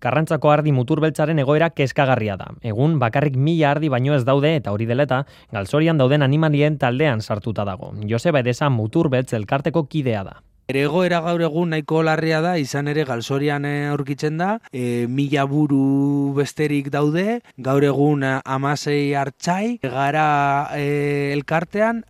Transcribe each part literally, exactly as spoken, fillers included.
Karrantzako ardi muturbeltzaren egoera kezkagarria da. Egun bakarrik mila ardi baino ez daude eta hori dela eta galzorian dauden animalien taldean sartuta dago. Joseba Edesa muturbeltz elkarteko kidea da. Ere egoera gaur egun nahiko larria da, izan ere galzorian aurkitzen da, e, mila buru besterik daude, gaur egun hamasei artxai, gara e, elkartean.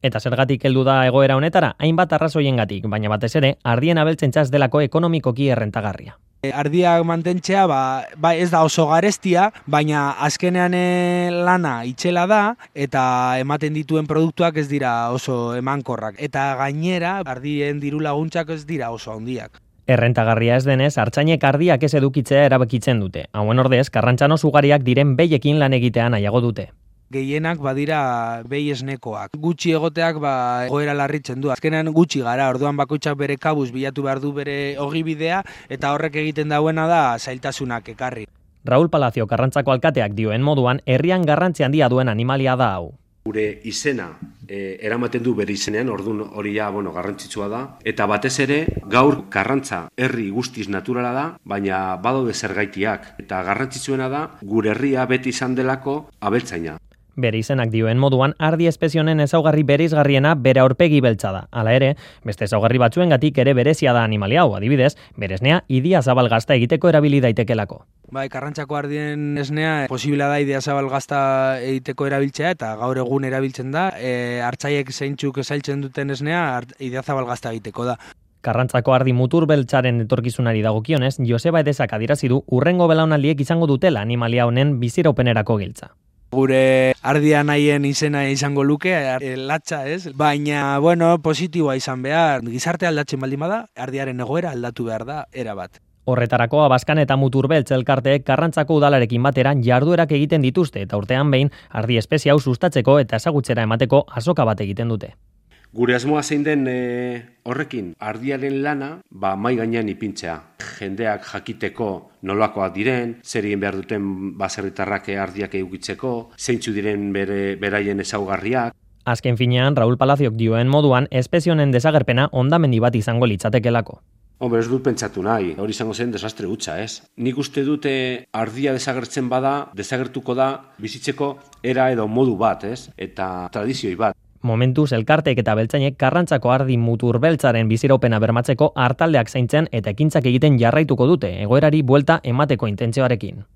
Eta zergatik heldu da egoera honetara, hainbat arrazoiengatik, baina batez ere, ardien abeltzentza ez delako ekonomikoki errentagarria. Ardiak mantentzea ba, ba ez da oso garestia, baina azkenean e, lana itxela da eta ematen dituen produktuak ez dira oso emankorrak. Eta gainera, ardien diru laguntzak ez dira oso handiak. Errentagarria ez denez, artzainek ardiak ez edukitzea erabakitzen dute. Hauen ordez, karrantzano ugariak diren behiekin lan egitea nahiago dute. Gehienak badira behi esnekoak. Gutxi egoteak ba, egoera larritzen du. Azkenean gutxi gara, orduan bakoitzak bere kabuz bilatu behar du bere ogibidea eta horrek egiten dauena da zailtasunak ekarri. Raúl Palacio Karrantzako alkateak dioen moduan, herrian garrantzi handia duen animalia da hau. Gure izena e, eramaten du bere izenean, orduan hori ja, bueno, garrantzitsua da. Eta batez ere, gaur Karrantza herri guztiz naturala da, baina badaude zergaitiak. Eta garrantzitsuena da, gure herria beti izan delako abeltzaina. Bere izenak dioen moduan, ardi espezionen ezaugarri bereizgarriena bere aurpegi beltza da. Hala ere, beste ezaugarri batzuengatik ere berezia da animalia hau, adibidez, bere esnea idia zabal gazta egiteko erabili daitekelako. Bai, Karrantzako ardien esnea posibila da idia zabal gazta egiteko erabiltzea eta gaur egun erabiltzen da. E, hartzaiek zeintzuk esailtzen duten esnea idia zabal gazta egiteko da. Karrantzako ardi muturbeltzaren etorkizunari dagokionez, Joseba Edesak adierazi du hurrengo belaunaldiek izango dutela animalia honen biziraupenerako giltza. Gure ardia nahien izena izango luke, latxa ez, baina, bueno, positiboa izan behar. Gizarte aldatzen baldin bada, ardiaren egoera aldatu behar da, erabat. Horretarako Abaskan eta Muturbeltz elkarteek Karrantzako udalarekin batera jarduerak egiten dituzte eta urtean behin ardi espezie hau sustatzeko eta ezagutzera emateko azoka bat egiten dute. Gure asmoa zein den e, horrekin, ardiaren lana, ba, mai gainean ipintzea. Jendeak jakiteko nolakoak diren, zer egin behar duten baserritarrak ardiak edukitzeko, zeintzu diren bere, beraien ezaugarriak. Azken finean, Raúl Palaziok dioen moduan, espezie honen desagerpena hondamendi bat izango litzatekelako. Hombre, ez dut pentsatu nahi, hori izango zen desastre hutsa, ez? Nik uste dute ardia desagertzen bada, desagertuko da bizitzeko era edo modu bat, ez? Eta tradizioi bat. Momentuz elkarteek eta beltzainek Karrantzako ardi muturbeltzaren biziraupena bermatzeko hartaldeak zaintzen eta ekintzak egiten jarraituko dute, egoerari buelta emateko intentzioarekin.